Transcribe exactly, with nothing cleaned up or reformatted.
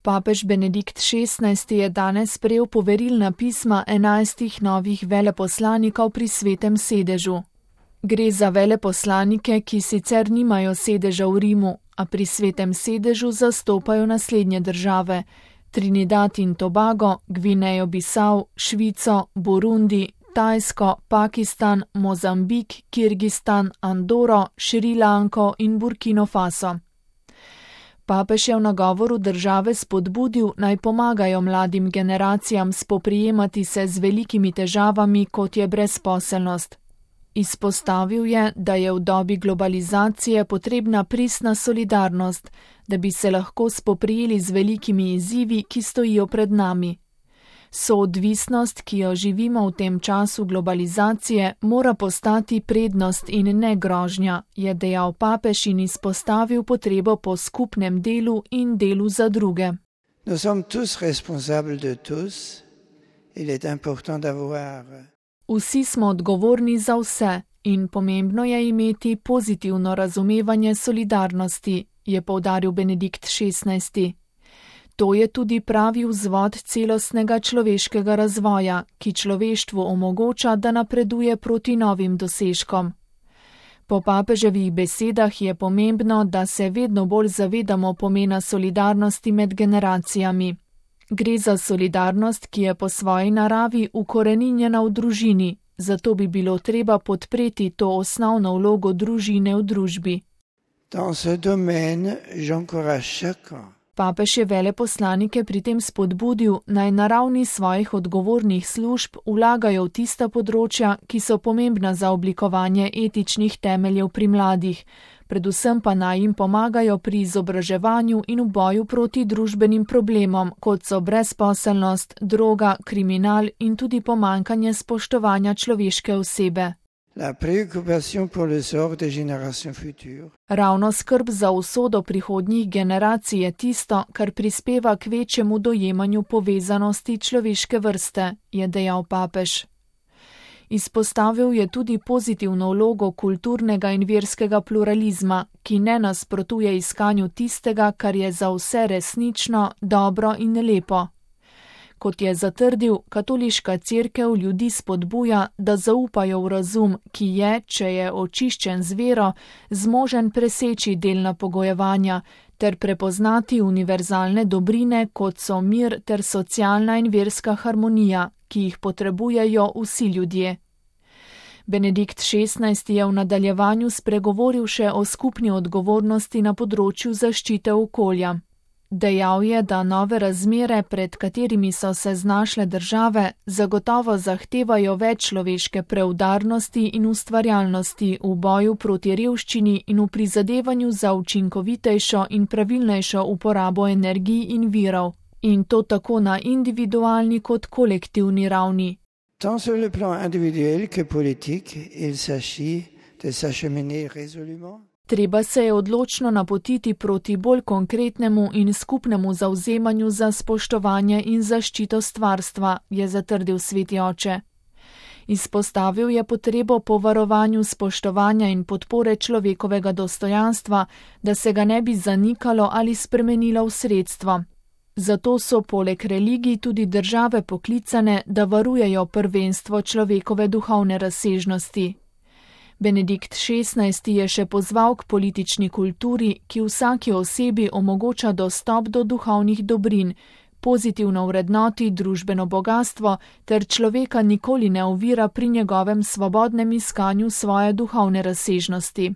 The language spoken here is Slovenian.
Papež Benedikt šestnajsti je danes sprejel poverilna pisma enajstih novih veleposlanikov pri Svetem sedežu. Gre za veleposlanike, ki sicer nimajo sedeža v Rimu, a pri Svetem sedežu zastopajo naslednje države: Trinidad in Tobago, Gvinejo Bisau, Švico, Burundi, Tajsko, Pakistan, Mozambik, Kirgistan, Andoro, Šrilanko in Burkino Faso. Papež je v nagovoru države spodbudil, naj pomagajo mladim generacijam spoprijemati se z velikimi težavami, kot je brezposelnost. Izpostavil je, da je v dobi globalizacije potrebna pristna solidarnost, da bi se lahko spoprijeli z velikimi izzivi, ki stojijo pred nami. Soodvisnost, ki jo živimo v tem času globalizacije, mora postati prednost in ne grožnja, je dejal papež in izpostavil potrebo po skupnem delu in delu za druge. Nous sommes tous responsables de tous. Il est important d'avoir Vsi smo odgovorni za vse in pomembno je imeti pozitivno razumevanje solidarnosti, je poudaril Benedikt šestnajsti. To je tudi pravi vzvod celostnega človeškega razvoja, ki človeštvu omogoča, da napreduje proti novim dosežkom. Po papeževih besedah je pomembno, da se vedno bolj zavedamo pomena solidarnosti med generacijami. Gre za solidarnost, ki je po svoji naravi ukoreninjena v družini, zato bi bilo treba podpreti to osnovno vlogo družine v družbi. Dans ce domaine, j'encourage chacun. Papež je veleposlanike pri tem spodbudil, naj na ravni svojih odgovornih služb vlagajo v tista področja, ki so pomembna za oblikovanje etičnih temeljev pri mladih, predvsem pa naj jim pomagajo pri izobraževanju in v boju proti družbenim problemom, kot so brezposelnost, droga, kriminal in tudi pomanjkanje spoštovanja človeške osebe. La préoccupation pour le sort des générations futures. Ravno skrb za usodo prihodnjih generacij je tisto, kar prispeva k večjemu dojemanju povezanosti človeške vrste, je dejal papež. Izpostavil je tudi pozitivno vlogo kulturnega in verskega pluralizma, ki ne nasprotuje iskanju tistega, kar je za vse resnično, dobro in lepo. Kot je zatrdil, katoliška cerkev ljudi spodbuja, da zaupajo v razum, ki je, če je očiščen z vero, zmožen preseči delna pogojevanja ter prepoznati univerzalne dobrine, kot so mir ter socialna in verska harmonija, ki jih potrebujejo vsi ljudje. Benedikt šestnajsti je v nadaljevanju spregovoril še o skupni odgovornosti na področju zaščite okolja. Dejal je, da nove razmere, pred katerimi so se znašle države, zagotovo zahtevajo več človeške preudarnosti in ustvarjalnosti v boju proti revščini in v prizadevanju za učinkovitejšo in pravilnejšo uporabo energij in virov, in to tako na individualni kot kolektivni ravni. Tant sur le plan individuel que politique, il s'agit de s'acheminer résolument. Treba se je odločno napotiti proti bolj konkretnemu in skupnemu zavzemanju za spoštovanje in zaščito stvarstva, je zatrdil sveti oče. Izpostavil je potrebo po varovanju spoštovanja in podpore človekovega dostojanstva, da se ga ne bi zanikalo ali spremenilo v sredstvo. Zato so poleg religij tudi države poklicane, da varujejo prvenstvo človekove duhovne razsežnosti. Benedikt šestnajsti je še pozval k politični kulturi, ki vsaki osebi omogoča dostop do duhovnih dobrin, pozitivno vrednoti družbeno bogastvo ter človeka nikoli ne ovira pri njegovem svobodnem iskanju svoje duhovne razsežnosti.